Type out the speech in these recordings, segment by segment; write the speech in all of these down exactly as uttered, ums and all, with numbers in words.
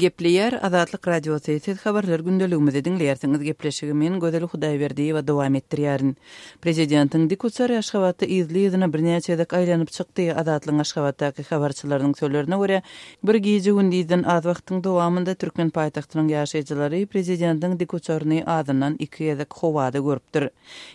Gepleýär Azatlyk Radiosy, siz habarlar gündeligimizi diňleýärsiňiz. Gepleşigi men Gözel Hudaýberdiýewa dowam etdirýärin. Prezidentiň dikuçary Aşgabatda yzly-yzyna birnäçe gezek aýlanyp çykdy. Azatlygyň Aşgabatdaky habarçylarynyň sözlerine görä, bir gije-gündizden az wagtyň dowamynda türkmen paýtagtynyň ýaşaýjylary prezidentiň dikuçaryny azyndan iki gezek howada görüpdir.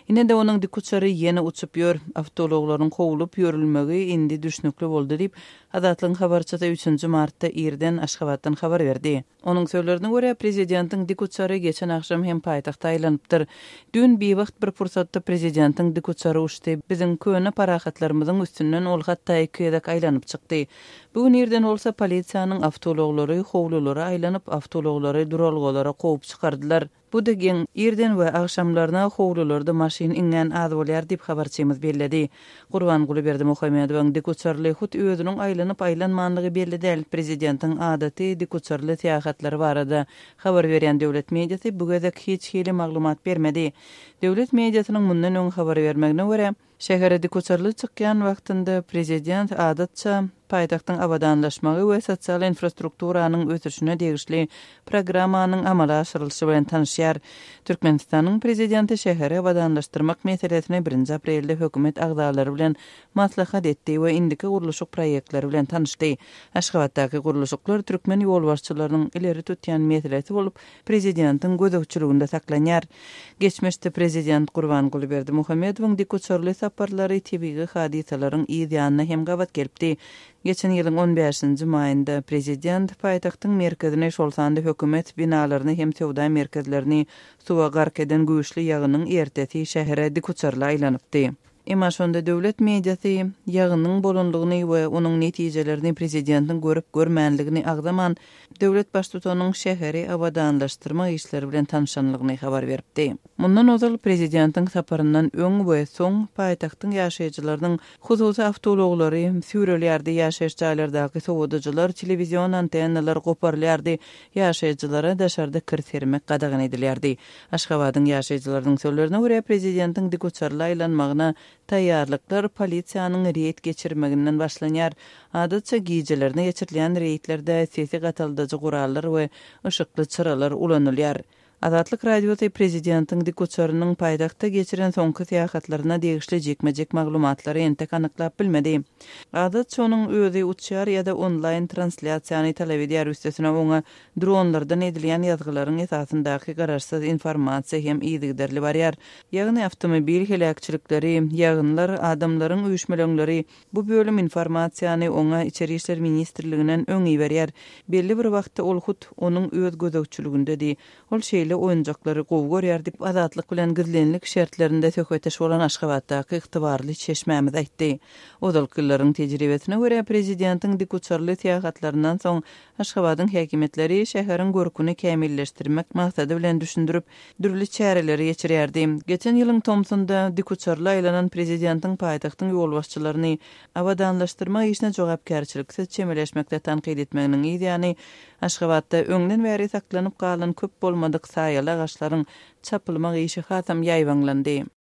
Ine-de onuň dikuçary ýene uçup ýör, awtoulaglaryň kowlup ýörülmegi indi düşnükli boldy diýip, Azatlygyň habarçysy üçünji martda irden Aşgabatdan habar berdi. Onuň sözlerine görä, prezidentiň dikuçary geçen agşam hem paýtagta aýlanypdyr. Düýn biwagt bir pursatda prezidentiň dikuçary uçdy. Biziň köne parahatlarymyzyň üstünden ol hatda iki gezek aýlanyp çykdy. Bu gün irden bolsa polisiýanyň awtoulaglary howlulara aýlanyp, awtoulaglary duralgalara kowup çykardylar. Bu-da geň, irden we agşamlaryna howlularda maşyn iňňän az bolýar diýip, habarçymyz belledi. Gurbanguly Berdimuhamedowyň dikuçarly hut özüniň aýlanyp-aýlanmanlygy belli däl. Prezidentiň adaty dikuçarly syýahatlary barada habar berýän döwlet mediasy bu gezek hiç hili maglumat bermedi. Döwlet mediasynyň mundan öň habar bermegine görä, şähere dikuçarly çykýan wagtynda prezident adatça paýtagtyň abadanlaşmagy we sosial infrastrukturanyň ösüşine degişli programmanyň amala aşyrylyşy bilen tanyşýar. Türkmenistanyň prezidenti şäheri abadanlaşdyrmak meselesini birinji aprelde hökümet agzalary bilen maslahat etdi we indiki gurluşyk proýektleri bilen tanyşdy. Aşgabatdaky gurluşyklar türkmen ýolbaşçylarynyň ileri tutýan meselesi bolup, prezidentiň gözegçiliginde saklanýar. Geçmişde prezident Gurbanguly Berdimuhamedowyň dikuçarly saparlary tebigy hadysalaryň yz ýanyna hem gabat gelipdi. Geçen ýylyň on bäşinji maýynda prezident paýtagtyň merkezini, şol sanda hökümet binalaryny hem söwda merkezlerini suwa gark eden güýçli ýagynyň ertesi şähere dikuçarly aýlanypdy. Emma şonda döwlet mediasy ýagynyň bolanlygyny we onuň netijelerini prezidentiň görüp görmänligini agzaman, döwlet baştutanyň şäheri abadanlaşdyrmak işleri bilen tanyşanlygyny habar beripdi. Mundan ozal prezidentiň saparyndan öň we soň paýtagtyň ýaşaýjylarynyň hususy awtoulaglary süýrelýärdi, ýaşaýyş jaýlardaky sowadyjylar, telewizion antennalar goparylýardy, ýaşaýjylara daşarda kir sermek gadagan edilýärdi. Aşgabadyň ýaşaýjylarynyň sözlerine görä, prezidentiň dikuçarly aýlanmagyna taýýarlyklar polisiýanyň reýd geçirmeginden başlanýar. Adatça gijelerine geçirilýän reýdlerde sesi gataldyjy gurallar we yşykly çyralar ulanylýar. Azatlyk Radiosy prezidentiň dikuçarynyň paýtagtda geçiren soňky syýahatlaryna degişli jikme-jik maglumatlary entek anyklap bilmedi. Adatça onuň özi uçýar ýa-da onlaýn translýasiýany talap edýär, üstesine oňa dronlardan edilýän ýazgylaryň esasyndaky garaşsyz informasiýa hem yzygiderli barýar. Ýagny awtomobil heläkçilikleri, ýagynlar, adamlaryň üýşmeleňleri bu bölüm informasiýany oňa Içeri işler ministrliginden öň iberýär. Belli bir wagtda ol hut onuň öz gözegçiligindedi. Ol şeýle oýunjaklary gowy görýär diýip, Azatlyk bilen gizlinlik şertlerinde söhbetdeş bolan Aşgabatdaky ygtybarly çeşmämiz aýtdy. Ozalky ýyllaryň tejribesine görä, prezidentiň dikuçarly syýahatlaryndan soň Aşgabadyň häkimiýetleri şäheriň görküni kämilleşdirmek maksady bilen düşündirip, dürli çäreleri geçirýärdi. Geçen ýylyň tomsunda dikuçarly aýlanan prezidentiň paýtagtyň ýolbaşçylaryny abadanlaşdyrmak işine jogapkärçiliksiz çemeleşmekde tankyt etmeginiň yz ýany Aşgabatda öňden bäri saklanyp galan köp bolmadyk saýaly agaçlaryň çapylmak işi hasam ýaýbaňlandy.